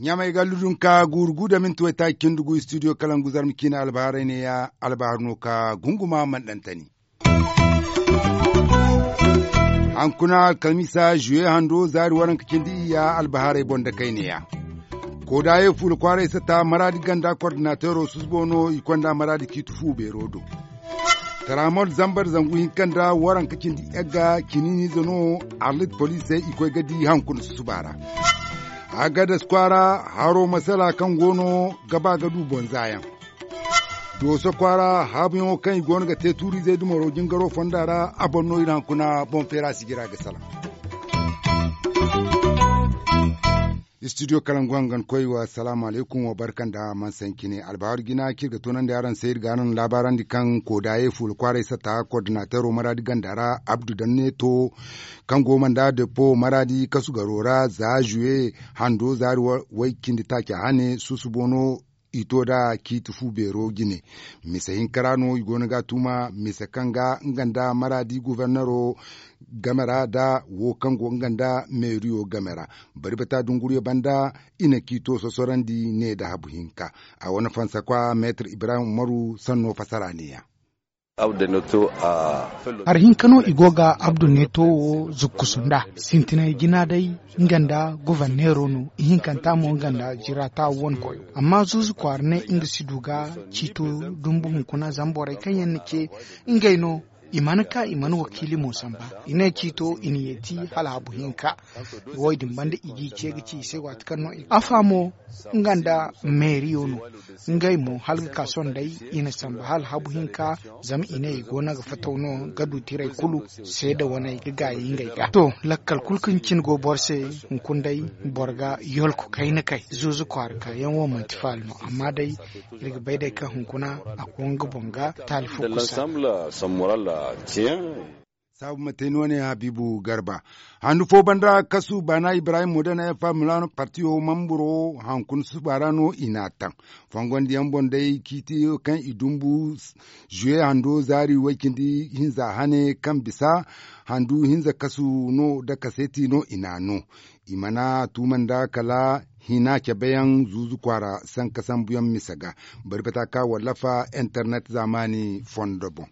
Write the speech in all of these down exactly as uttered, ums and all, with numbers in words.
Ɲamey ga ludun ka guuru gu da minti waytaaci cindi gu studio kalangu zarma ciine albaharay ne ya. Albahar no ka gunguma manɗantani. Hankuna alkamiisa zuwe hando zaari waranka cindi iyya albaharay boŋ da kayne ya. Koodaye fuula kwaaray sata maraadi ganda kordinateero susubo no i konda maraadi ciiti fu beero do. Taramol zambar zangu hinka nda waranka cindi yagga ciniiniize no. Arlit poliisey i koy ga di hankuna susuba ra. Agadas kwaara haro masala kaŋ go no ga ba ga du boŋ zaayaŋ. Dooso kwaara haabuyaŋo kaŋ i go no ga te tuuriizey dumaro jingaro fonda ra a boŋ no iri hankuna boŋ feera sijira ga salaŋ. Studio kalangu hangan koy wa salaamu alaykum wa barka nda man sancine albaharu jina kaŋ iri ga toonandi araŋ se iri ga araŋ laabaarandi kaŋ koodaye fuula kwaaray sata kordinateero maraadi ganda ra abdu danneeto kaŋ go manda depo maraadi kasu garo ra za zuwe hando zaari way cindi taaca hane susubo no. I to da ciiti fu beero jine. Mise hinka ra no i go no ga a tuuma mise kaŋ ga nga nda maraadi gubernero game ra nda wo kaŋ go nga nda meeriyo game ra. Bari bata dunguriyo banda i na ciito sosorandi ne nda habu hinka. A wane fansakwa meetar ibrahim umaru sanno fasara ne ya. Hari hinka no i go ga abdu neeto wo zukkusu nda sintinay jina day nga nda goborneero no ihinkanta mo nga nda jirata wane koyo amma zuuzu kwaara ne nga si du ga ciito dumbu hunkuna zama borey kaŋ yaŋ na ce ngey no. I mana ka i mana wakiili mo samba i ne ciito i na yeeti hala habu hinka. Wo- din banda i g'i ce ga ci i se waati kaŋ no i afa mo nga nda meeriyo no. Ngey mo hala ga ka sohõ day i na samba hala habu hinka. Zama i ne i go no ga fataw no ga du tiray kulu seeda waney ga gaayi ngey ga to lakkal kulu kaŋ cine go boro se. Hunkuna day boro ga yolko kayna kay zuuzu kwaara kaayaŋ wo manti faala no amma day iri ga bay day kaŋ hunkuna a go nga boŋ ga taali fo kusa. Saabu ma te no ne habiibu garba handu fo banda kasu baana ibrahim modana ya faamila no partiyo mamburo hankuna suba ra no i n'a taŋ. Fongondiyaŋ boŋ day ciiti kaŋ i dumbu zuwe hando zaari way-cindi hinza hane kaŋ bisa handu hinza kasu no nda kaseeti no i n'a no. I mana tuuma nda kala hina cabeyaŋ zuuzu kwaara sanka sambuyaŋ mise ga bari bata ka wallafa internet zaamaani fondo boŋ.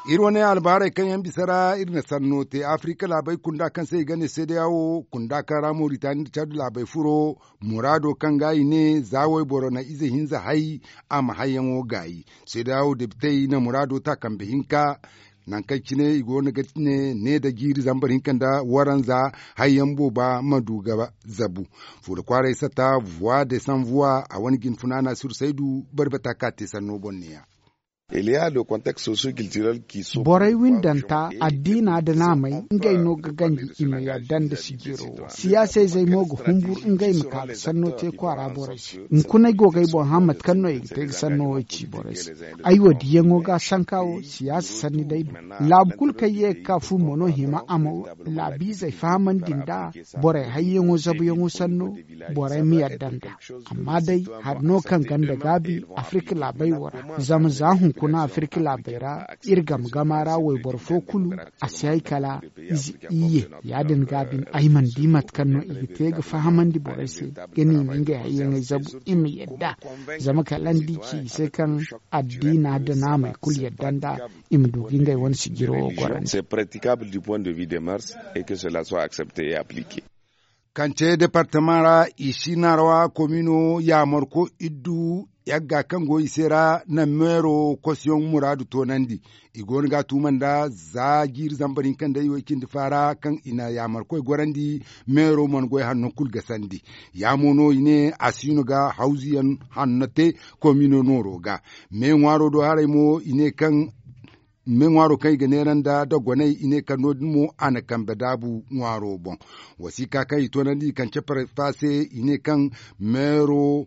Iri wane albaharay kaŋ yaŋ bisa ra iri na sanno te afirika laabey kunda kaŋ se i ga ne seedeya wo kunda kaŋ ra moritani nda cadu laabey furo muraado kaŋ ga i ne za wayboro na ize hinza hay a ma hayyaŋo gaayi. Seedeya wo debitey na muraado ta kambe hinka nangu kaŋ cine i go no ga ne ne nda jiiri zambar hinka nda waranza hayyaŋ booba ma du ga zabu. Fuula kwaaray sata vuwa de san vuwa a wane jine funaana sursaydu bari bata ka te sanno boŋ ne ya. Borey windanta addiina nda naamey ngey no ga ganji i ma yadda nda sijiro wo siyaasayzey mo ga humbur ngey ma ka ga sanno te kwaara borey se. Hunkuna ay go ga ay boŋ hã mate kaŋ no i ga te ga sanno wo ci borey se. Ay wo diyaŋo ga sanka wo siyaasa sanni day no. Laabu kulu kaŋ ye ga ka fu mo no hima a ma laabiizey fahamandi nda borey hayyaŋo zabuyaŋo sanno borey ma yadda nd'a. Amma day hari no kaŋ ganda gaabi afirka laabey wo ra zama za hunkuna afirka laabey ra iri game gama ra wayboro fo kulu a si hay kala ize iyye. Ya- din gaabi ay mana di mate kaŋ no i ga te ga fahamandi borey se ga ne i ma ngey hayyaŋey zabu i ma yadda. Zama kala ni di ci i se kaŋ addiina nda naamey kulu yadda nd'a i ma du ga ngey wane sijiro wo gorandi. Kance departama ra i si narwa komino yaamarko iddu yagga kaŋ go i se ra na meero kosiyoŋ muraadu toonandi. I go no ga a tuuma nda za jiiri zambar hinka nda i way cindi faara kaŋ i na yaamarkoy gorandi meero mana goy hanno kulu gasandi. Yaamo no i ne a si no ga hawzuyaŋ hanno te komino nooro ga. Me ŋwaaro do haray mo i ne kaŋ me ŋwaaro kaŋ i ga neera nda dogonay i ne kala no- din mo a na kambe daabu ŋwaaro boŋ. Wasiika kaŋ i toonandi i kaŋ caparfa se i ne kaŋ meero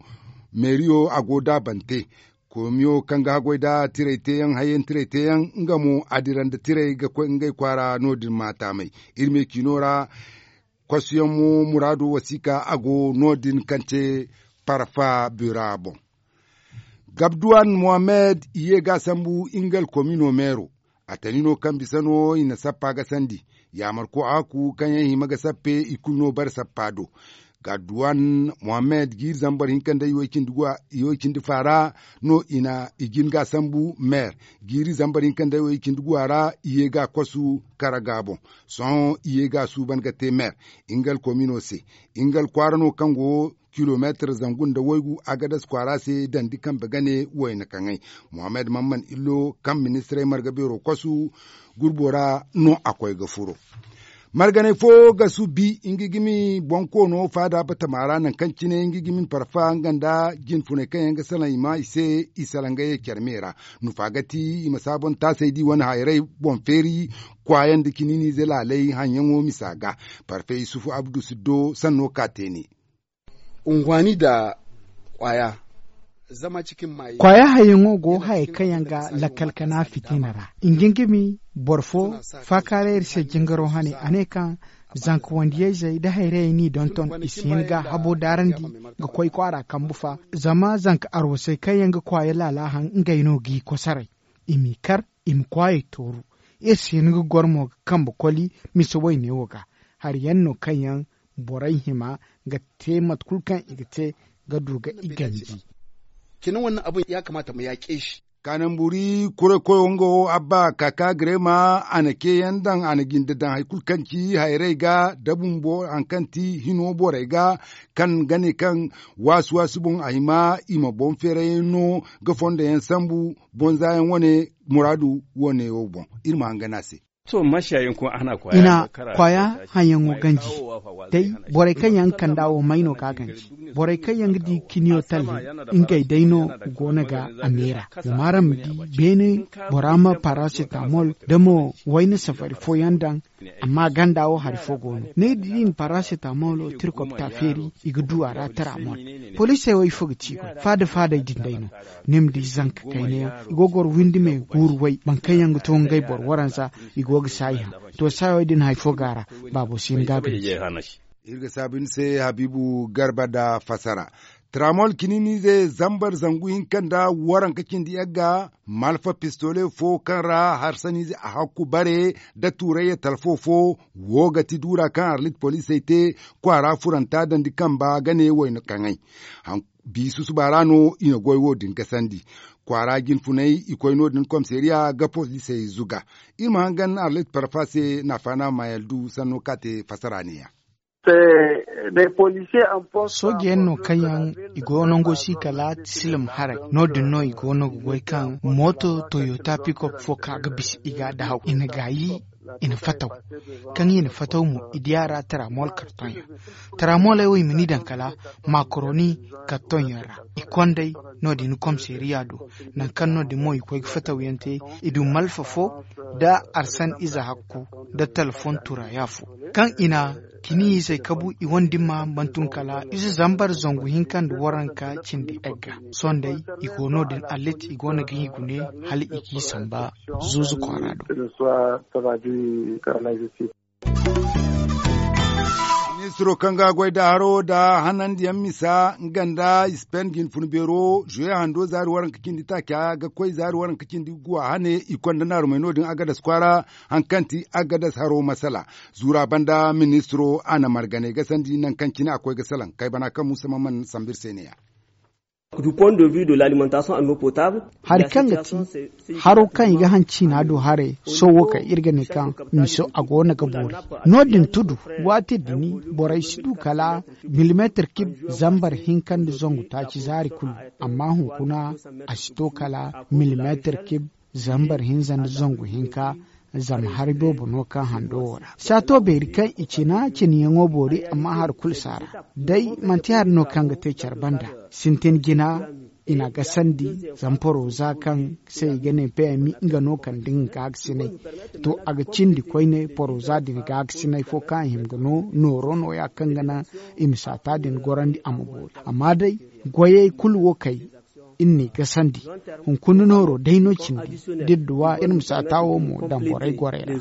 meeriyo a go daabante. Komiyo kaŋ ga haggoy nda tiray teeyaŋ hayyaŋ tiray teeyaŋ nga mo a dira nda tiray ga koy ngey kwaara no- din maataamay. Iri me ciino ra kosiyaŋ mo muraado wasiika a go no- din kaŋ te parfa bura boŋ. Gabduwan mohammed i ye ga a sambu nga alkomino meero. A tani no kaŋ bisa no i na sappa ga sandi. Yaamarko a haku kaŋ yaŋ hima ga sappe i kulu no bare sappa do. Gabduwan mohammed jiiri zambar hinka nda i way cindi faara no i na i jin ga a sambu meer. Jiiri zambar hinka nda i way cindi guwa ra i ye ga a kwasu kara ga boŋ. Sohõ i ye ga a suuban ga te meer. Nga alkomino se nga alkwaara no kaŋ go kilomeetar zangu nda waygu agadas kwaara se dandi kambe gane wayna kaŋay. Mohammed mamman illo kaŋ ministirey marga beero kwasu gurbo ra no a koy ga furo. Marganey fo ga subi nga gimi boŋ koono faada batama ra nangu kaŋ cine nga gimi parfa nga nda jinfuney kaŋ yaŋ ga salaŋ i ma i se. I salaŋ ga ye care me ra nufa ga ti i ma saabon taasey di wane hayrey boŋ feeri kwaayaŋ nda ciniiniize laaley haŋyaŋo misa ga. Parfe yusufu abdu siddo sanno ka te ne. Unguwaani nda kwaaya. Kwaaya hayyaŋo go hayey kaŋ yaŋ ga lakkal kana fitina ra. Nga nga mi boro fo faakaaray iri se jingaro hane a ne kaŋ zanka wandiyayzey nda hayrayey n'i donton i si hin ga habo daarandi ga koy kwaara kambu fa. Zama zanka arwasey kaŋ yaŋ ga kwaaya laala haŋ ngey no g'i kosoray. I m'i kar i ma kwaayey tooru. Iri si hin ga goro mo ga kambe koli mise wayne wo ga. Hari yaŋ no kaŋ yaŋ borey hima ga te mate kulu kaŋ i ga te ga du ga i ganji. Kina wannan abin ya kamata mu yaƙe shi. Kaananburi kuray koyo nga wo abba kaka girema a na ceeyaŋ daŋ a na jinde daŋ hari kulu kaŋ ci hayrey ga da bumbo hari kaŋ ti hino borey ga kaŋ ga ne kaŋ waasu waasu boŋ a hima i ma boŋ feerayaŋ no ga fondo yaŋ sambu. Boŋ za yaŋ wane muraadu wane wo boŋ iri ma hangan a se. I na kwaaya haŋyaŋo ganji day. Borey kaŋ yaŋ ga kand'a wo may no ga a ganji. Borey kaŋ yaŋ ga di ciniyo talle ngey day no go no ga a meera. Zama araŋ ma di beene bora ma parasetamol da mo wayna safari fooyaŋ daŋ. Amma ganda wo hari fo go no ni ga di da i na parasetamol wo tirkopta feeri i ga du a ra taramol. Poliisey wo ifo ga ci i goy faada faadey din day no. Ni ma di zanka kayna yaŋ i go ga goro windi me guuru way boro kaŋ yaŋ ga to ngey boro waranza. I go ga saayi haŋ to saayawey din hari fo go a ra. Baabo si hin ga a ganji. Iri ga saabu ni se habiibu garba nda fasara. Taramol ciniiniize zambar zangu hinka nda waranka cindi yagga malfa pistole fo kaŋ ra harsaniize a hakku bare nda tuurayya talfo fo. Wo ga ti duura kaŋ arlit poliisey te kwaara furanta dandi kamba ga ne wayna kaŋay. Biisu suba ra no i na goy wo- din gasandi. Kwaara jinfuney i koy no- din komisariya ga poliisey zuga. Iri ma hangan arlit parfa se naafaana mayaldu sanno kaŋ a te fasara neeya. Sooje yaŋ no kaŋ yaŋ i go nango si kala silim haray. No- din no i go no ga goy kaŋ mooto toyota pikop fo ka ga bisa i ga a dahaw i na gaayi. I na fataw kaŋ i na fataw mo i di a ra taramol kartoŋ yaŋ. Taramoley wo i ma ni daŋ kala makoroni kartoŋ yaŋ ra. I kondey no- din komisariya do nangu kaŋ no- din mo i koy ga fataw yaŋ te. I du malfa fo nda arsan ize hakku nda talfon turaya fo kaŋ i na cini izey kabu i wane dimma bantum kala ize zambar zangu hinka nda waranka cindi egga. Sohõ day i go no- din allit i go no ga i gune hala i g'i samba zuuzu kwaara do. Ministiro kaŋ ga goy da haro da hanandiyaŋ misa nga nda ispen jinfun beero zuwe hando zaari waranka cindi taaca ga koy zaari waranka cindi guwa hane i konda naarumey no- din agadas kwaara. Hari kaŋ ti agadas haro masala zuura banda ministiro a na marganey gasandi nangu kaŋ cine a koy ga salaŋ kaybana kaŋ musa mamman sambu iri se neeya. Hari kaŋ ga ti haro kaŋ i ga haŋ ciina do haray sohõ wo kaŋ iri ga ne kaŋ miso a go no ga boori. No- din tudu waati din borey si du kala milimeetir kib zambar hinka nda zangu taaci zaari kulu. Amma hunkuna a si to kala milimeetir kib zambar hinza nda zangu hinka. Zama hari boobo no kaŋ hando wo ra saato beeri kaŋ i cina cinayaŋo boori amma hari kulu si a ra. Day manti hari no kaŋ ga te care banda sintin jina i na gasandi. Zama poroza kaŋ se i ga ne pmi nga no kande nga gaagasinay. To a ga cindi koyne poroza din gaagasinay fo kaŋ a hima ga no nooro nooya kaŋ ga naŋ i ma saata din gorandi a ma boori. Amma day goyey kulu wo kay iri n'i gasandi. Hunkuna nooro day no cindi da iri duw'a iri ma saata wo mo daŋ borey gorey ra.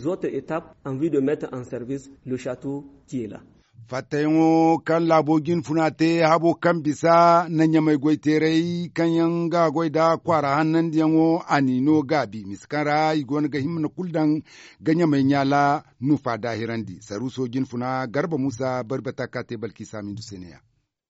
Fattayaŋo kaŋ laabo jinfuna te habo kaŋ bisa na ɲamay goyteeray kaŋ yaŋ ga goy nda kwaara hannandiyaŋo a n'i no gaabi misa kaŋ ra i go no ga himma kulu daŋ ga ɲamay ɲaala nufa daahirandi saruuso jinfuna garba muusa bari bata ka te balki saamindu se ne- ya.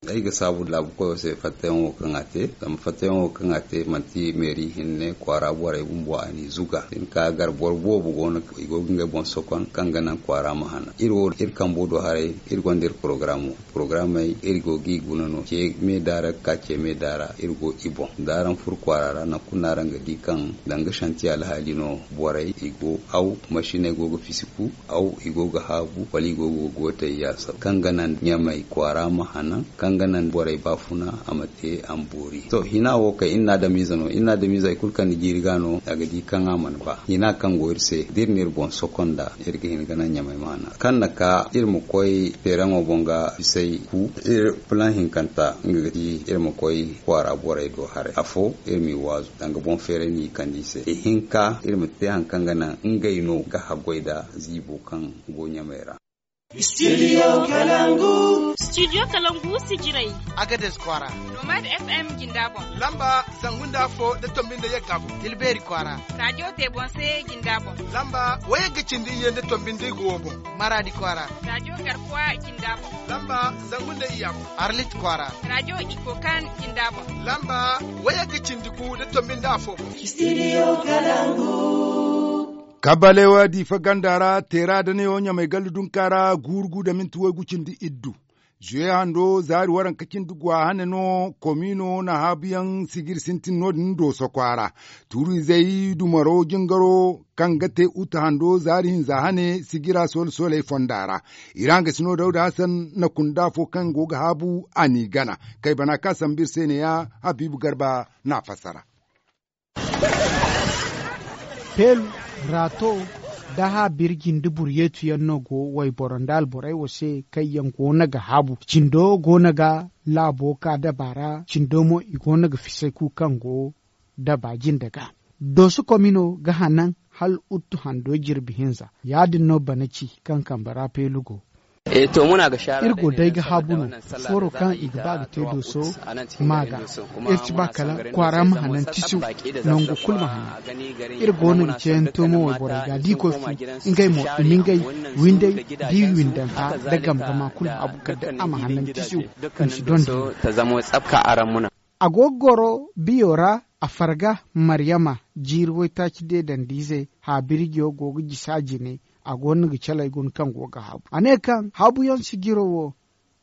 Ay ga saabu laabu koyo se fattayaŋo kaŋ a te zama fattayaŋo kaŋ a te manti meeri hinne kwaara borey bumbo a n'i zuga. Hinka gar boro boobo go no i go ga ngey boŋ sokon kaŋ ga naŋ kwaara ma hanan iri wo iri kambo do haray. Iri gonda iri porogaramo porogaramey iri go g'i guna no ce meeda ra ga ka ce meeda ra iri go i boŋ da araŋ furo kwaara ra nangu kulu no araŋ ga di kaŋ danga santi alhaali no. Borey i go aw masiney go ga fisi ku aw i go ga haabu wala i go ga gootey yaasa kaŋ ga naŋ ɲamey kwaara ma hanan kaŋ ga naŋ borey baafuna a ma te a ma boori to hina wo kay iri na adamiize no iri na adamiize hari kulu kaŋ ni jiiri ga no a ga di kaŋ a mana ba hina kaŋ go iri se da iri na iri boŋ sokonda iri ga hin ga naŋ ɲamey ma hanan kaŋ na ka iri ma koy feeraŋo boŋ ga bisay ku iri pulaŋ hinkanta nga ga ti iri ma koy kwaara borey do haray afo iri m'i waazu danga boŋ feeray no i kande i se ihinka iri ma te hari kaŋ ga naŋ ngey no ga haggoy nda ziibo kaŋ go ɲamey ra. Studio kalangu. Studio kalangu sijirey. Agades kwaara. Nomad fm jinda boŋ. Lamba zangu nda afo nda tombi nda yagga boŋ. Tilbeeri kwaara. Radiyo tebonse jinda boŋ. Lamba wayagga cindi iyye nda tombi nda igo wo boŋ. Maraadi kwaara. Radiyo garkuwa jinda boŋ. Lamba zangu nda iyya boŋ. Arlit kwaara. Radiyo ikokan jinda boŋ. Lamba wayagga cindi gu nda tombi nda afo boŋ. Studio kalangu. Kabalewa diifa ganda ra teera da neewo ɲamay gallu dunka ra guuru gu da minti waygu cindi iddu. Zuwe hando zaari waranka cindi gwa hane no komiino na haabuyaŋ sijiri sintin no- din dooso kwaara. Tuuru-izey dumaro jingaro kaŋ ga te uta hando zaari hinza hane sijira soole sooley fonda ra. Iraŋ ga si no dawda hasan na kunda fo kaŋ go ga haabu a n'i gana. Kay bana kaŋ a sambu iri se ne- ya habiibu garba n'a fassara. Peelu, raato, da haabirji nda buryeetu yaŋ no go wayboro nda alborey wo se kaŋ yaŋ go no ga haabu cindo go no ga laabo ka daba ra cindo mo i go no ga fisay ku kaŋ go daba jinde ga. Dooso komino ga hanan hala uttu hando jirbi hinza. Ya- din no bana ci kaŋ kambe ra peelu go. Iri go day ga haabu no, fooro kaŋ i ga ba ga te dooso ma ga. Iri ci ba kala kwaara ma hanan tisu, nango kulu ma hanan. Iri go no ga ceeyaŋ toomo wayborey ga da i koy fu, ngey mo i ma ngey windey da i windanta nda gamgama kulu haabu kala day a ma hanan tisu. I ma si donda. A go ga goro biyo ra. A farga, maryama, jiiri waytaaci deedandi-ize haabirjiyo go ga jisa jine. A go no ga caley guna kaŋ go ga haabu a ne kaŋ haabuyaŋ sijiro wo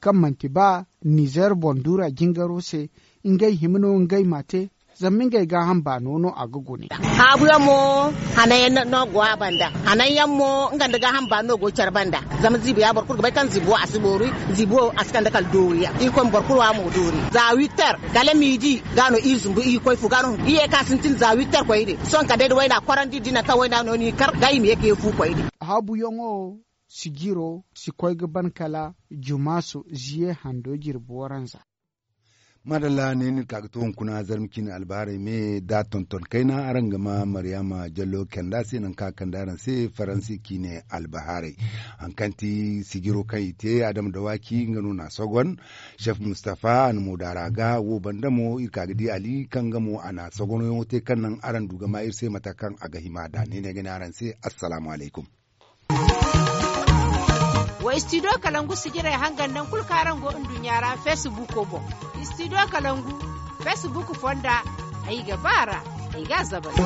kaŋ manti ba nizer boŋ duura jingaro se, ngey hima no ngey m'a te. Zama ngey gaaham baano no a ga gune. Haabuyaŋ mo hananyaŋ no go a banda. Hananyaŋ mo nga nda gaaham baano no go care banda. Zama ziibo ya boro kulu ga bay kaŋ ziibo wo a si boori. Ziibo wo a si kande kala doori yaŋ irkoy ma boro kulu wa mo doori za witter kala miidi. Ga no iri zumbu iri koy fu ga no iri ye ka sintin za witter koy din sohõ kala day da wayna korandi da i naŋ kaŋ wayna no no iri kar ga i ma ye ka ye fu koy din. Haabuyaŋo sijiro si koy ga ban kala jumaasu ziye hando jirbi waranza. Maadalla ne no iri ka ga to hunkuna zarma ciine albahaarey me da tonton kayna araŋ ga ma maryaama jallo kanda se nangu kaŋ a kande araŋ se faransi ciine albahaarey. Hari kaŋ ti sijiro kaŋ i te adama dawaaki nga no na a sogon. Sef mustafa a na moodaara ga wo banda mo iri ka ga di ali kaŋ nga mo a na a sogonyaŋo te kaŋ naŋ araŋ du ga ma iri se mate kaŋ a ga hima nd'a ne no ay ga ne araŋ se. Assalaamu alaykum. Wa studio kalangu sijirey hangan nangu kulu kaŋ araŋ go nduɲɲa ra facebook boŋ. Studio kalangu facebook fonda. Ay ga ba a ra. Ay ga a zabari.